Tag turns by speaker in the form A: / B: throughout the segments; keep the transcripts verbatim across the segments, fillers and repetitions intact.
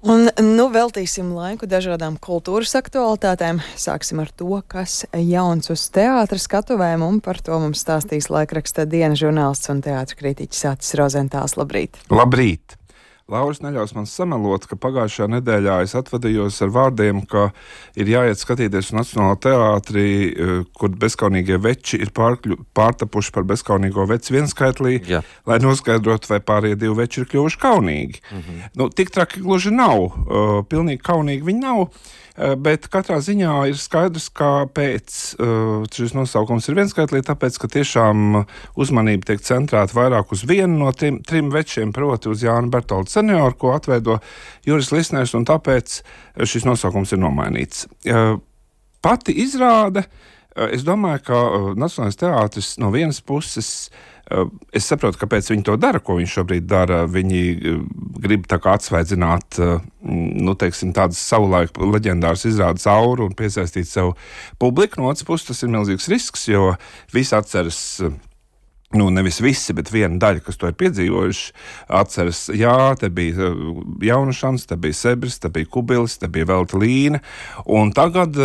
A: Un nu veltīsim laiku dažādām kultūras aktualitātēm. Sāksim ar to, kas jauns uz teātra skatuvēm, un par to mums stāstīs laikraksta Diena žurnālists un teātra kritiķis Atis Rozentāls. Labrīt!
B: Labrīt! Lauris neļaus man samelot, ka pagājušajā nedēļā es atvadījos ar vārdiem, ka ir jāiet skatīties uz Nacionālo teātri, kur bezkaunīgie veči ir pārkļu, pārtapuši par bezkaunīgo veci vienskaitlī, Jā. lai noskaidrotu, vai pārējie divi veči ir kļuvuši kaunīgi. Mhm. Nu, tik traki gluži nav, uh, pilnīgi kaunīgi viņi nav, uh, bet katrā ziņā ir skaidrs, kāpēc uh, šis nosaukums ir vienskaitlī, tāpēc, ka tiešām uzmanība tiek centrēta vairāk uz vienu no trim, trim večiem, proti uz Jānu Bertoldu senioru, ko atveido Juris Lisners, un tāpēc šis nosaukums ir nomainīts. Pati izrāde, es domāju, ka Nacionālais teātris no vienas puses, es saprotu, kāpēc viņi to dara, ko viņi šobrīd dara. Viņi grib tā kā atsvaidzināt, nu, teiksim, tādas savulaik leģendāras izrādes auru un piesaistīt sev publiku. No otras puses, tas ir milzīgs risks, jo visi atceras, nu, nevis visi, bet viena daļa, kas to ir piedzīvojuši, atceras, jā, te bija Jaunušans, te bija Sebris, te bija Kubilis, te bija Velta Līne, un tagad,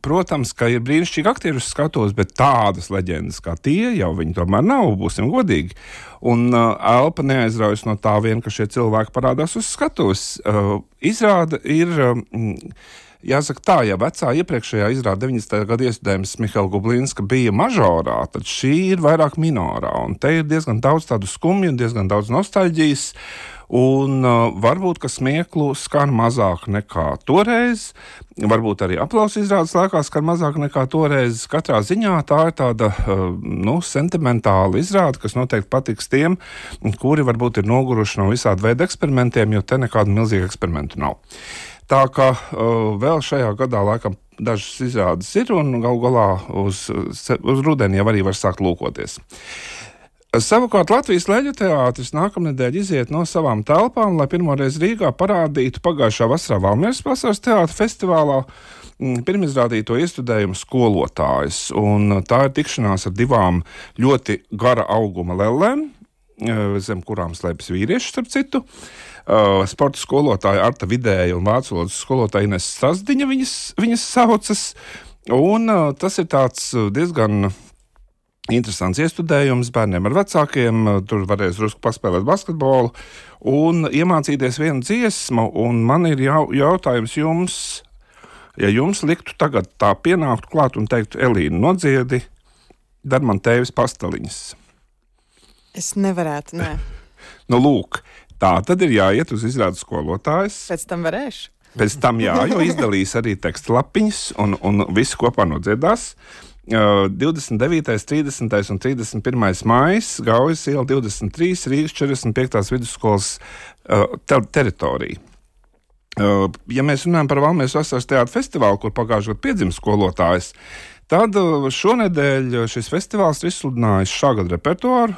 B: protams, ka ir brīnišķīgi aktieri uz skatuves, bet tādas leģendas kā tie jau viņi tomēr nav, būsim godīgi. Un uh, elpa neaizraujas no tā vien, ka šie cilvēki parādās uz skatuves. Uh, izrāda ir... Um, Jāsaka tā, ja vecā iepriekšējā izrāda deviņdesmitajā gada iestudējums Mihaila Gublinska bija mažorā, tad šī ir vairāk minorā, un te ir diezgan daudz tādu skumju, diezgan daudz nostalģijas, un uh, varbūt, ka smieklu skan mazāk nekā toreiz, varbūt arī aplausu izrādes laikā skan mazāk nekā toreiz. Katrā ziņā tā ir tāda, uh, nu, sentimentāla izrāde, kas noteikti patiks tiem, kuri varbūt ir noguruši no visāda veida eksperimentiem, jo te nekādu milzīgu eksperimentu nav. Tā kā uh, vēl šajā gadā laikam dažas izrādes ir, un galu galā uz, uz rudeni jau arī var sākt lūkoties. Savukārt Latvijas Leļu teātris nākamnedēļ iziet no savām telpām, lai pirmoreiz Rīgā parādītu pagājušā vasarā Valmieras vasaras teātra festivālā pirmizrādīto iestudējumu Skolotājs. Un tā ir tikšanās ar divām ļoti gara auguma lellēm, zem kurām slēpjas vīrieši, starp citu. Uh, sporta skolotāja Arta Vidēja un vācu valodas skolotāja Ines Sasdiņa viņas, viņas saucas, un uh, tas ir tāds diezgan interesants iestudējums bērniem ar vecākiem. Tur varēs drusku paspēlēt basketbolu un iemācīties vienu dziesmu, un man ir jau, jautājums jums, ja jums liktu tagad tā pienākt klāt un teiktu, Elīna, nodziedi, dar man tēvis pastaliņas.
A: Es nevarētu, nē.
B: Nu, lūk, tā tad ir jāiet uz izrādes Skolotājs.
A: Pēc tam varēšu? Pēc
B: tam jā, jo izdalīs arī teksta lapiņas un, un visi kopā nodziedās. Uh, divdesmit devītais, trīsdesmitais un trīsdesmit pirmais maijs, Gaujas iela divdesmit trīs, Rīgas četrdesmit piektās vidusskolas uh, ter- teritorija. Uh, ja mēs runājam par Valmieras vasaras teātra festivālu, kur pagājušajā gadā piedzima Skolotājs, tad šonedēļ šis festivāls ir izsludinājis šā gada repertuāru.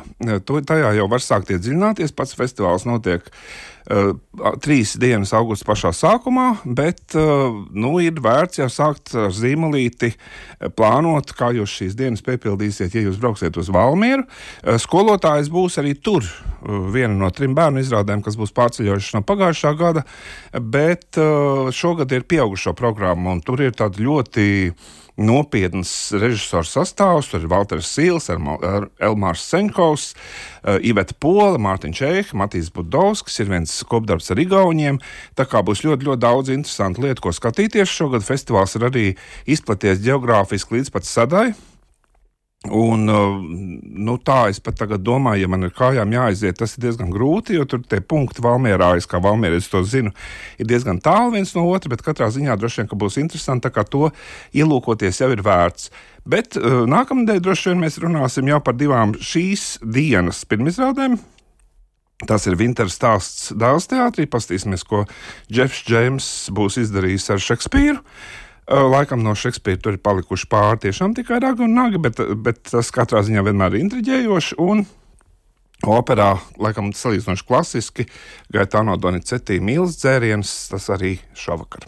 B: Tajā jau var sākt iedziļināties. Pats festivāls notiek uh, trīs dienas augusta pašā sākumā, bet uh, nu, ir vērts jau sākt ar zīmolīti plānot, kā jūs šīs dienas piepildīsiet, ja jūs brauksiet uz Valmieru. Uh, Skolotājs būs arī tur, uh, viena no trim bērnu izrādēm, kas būs pārceļojuši no pagājušā gada, bet uh, šogad ir pieaugušo programma, un tur ir tāda ļoti nopietnas režisors sastāvs. Tur ir Valters Sīls, Elmārs Seņkovs, Iveta Pola, Mārtiņš Čeiha, Matīs Budovskis, ir viens kopdarbs ar igauņiem. Tā kā būs ļoti, ļoti daudz interesantu lietu, ko skatīties. Šogad festivāls ir arī izplaties geogrāfiski līdz pat Sadai. Un, nu, tā es pat tagad domāju, ja man ir kājām jāaiziet, tas ir diezgan grūti, jo tur tie punkti Valmierā, es kā valmieris to zinu, ir diezgan tālu viens no otra, bet katrā ziņā droši vien, ka būs interesanti, tā kā to ielūkoties jau ir vērts. Bet nākamnedēļ droši vien mēs runāsim jau par divām šīs dienas pirmizrādēm. Tas ir Vintera stāsts Dēls teātrī, pastīsimies, ko Džefs Džeims būs izdarījis ar Šekspīru. Laikam no Šekspīra tur ir palikuši pāri tiešām tikai ragi un nagi, bet, bet tas katrā ziņā vienmēr ir intriģējoši, un operā, laikam salīdzinoši klasiski, Gaetano Donizetti Mīlas dzēriens, tas arī šovakar.